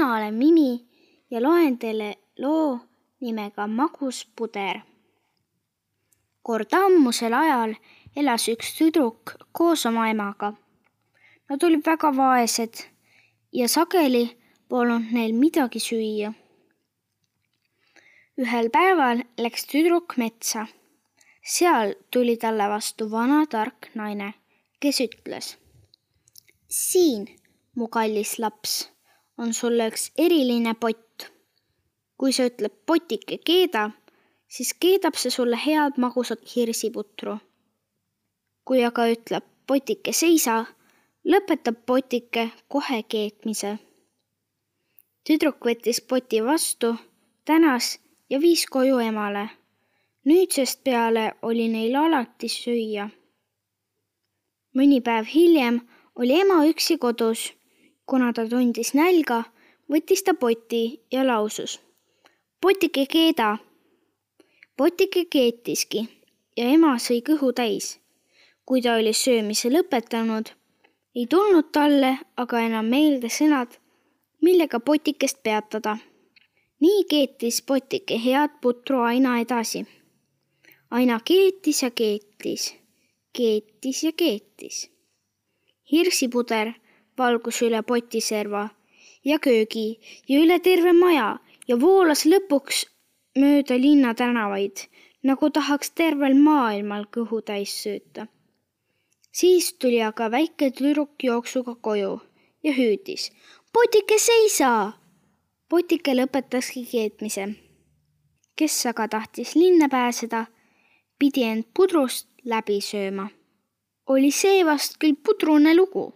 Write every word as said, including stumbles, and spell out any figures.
mina olen Mimi ja loen teile loo nimega Magus puder. Kord ammusel ajal elas üks tüdruk koos oma emaga. Nad olid väga vaesed ja sageli polnud neil midagi süüa. Ühel päeval läks tüdruk metsa. Seal tuli talle vastu vana tark naine, kes ütles: Siin, mu kallis laps, on sulle üks eriline pott. Kui sa ütleb potike keeda, siis keedab see sulle head magusat hirsiputru. Kui aga ütleb potike seisa, lõpetab potike kohe keetmise. Tüdruk võttis poti vastu, tänas ja viis koju emale. Nüüdsest peale oli neil alati süüa. Mõni päev hiljem oli ema üksi kodus. Kuna ta tundis nälga, võttis ta poti ja lausus: Potike keeda. Potike keetiski ja ema sõi kõhu täis. Kui ta oli söömise lõpetanud, ei tulnud talle aga enam meelde sõnad, millega potikest peatada. Nii keetis potike head putru aina edasi. Aina keetis ja keetis, keetis ja keetis. Hirsipuder valgus üle potiserva ja köögi ja üle terve maja ja voolas lõpuks mööda linna tänavaid, nagu tahaks tervel maailmal kõhu täis sööta. Siis tuli aga väike tüdruk jooksuga koju ja hüüdis: Potike seisa! Potike lõpetaski keetmise. Kes aga tahtis linna pääseda, pidi end pudrust läbi sööma. Oli see vast küll pudrune lugu.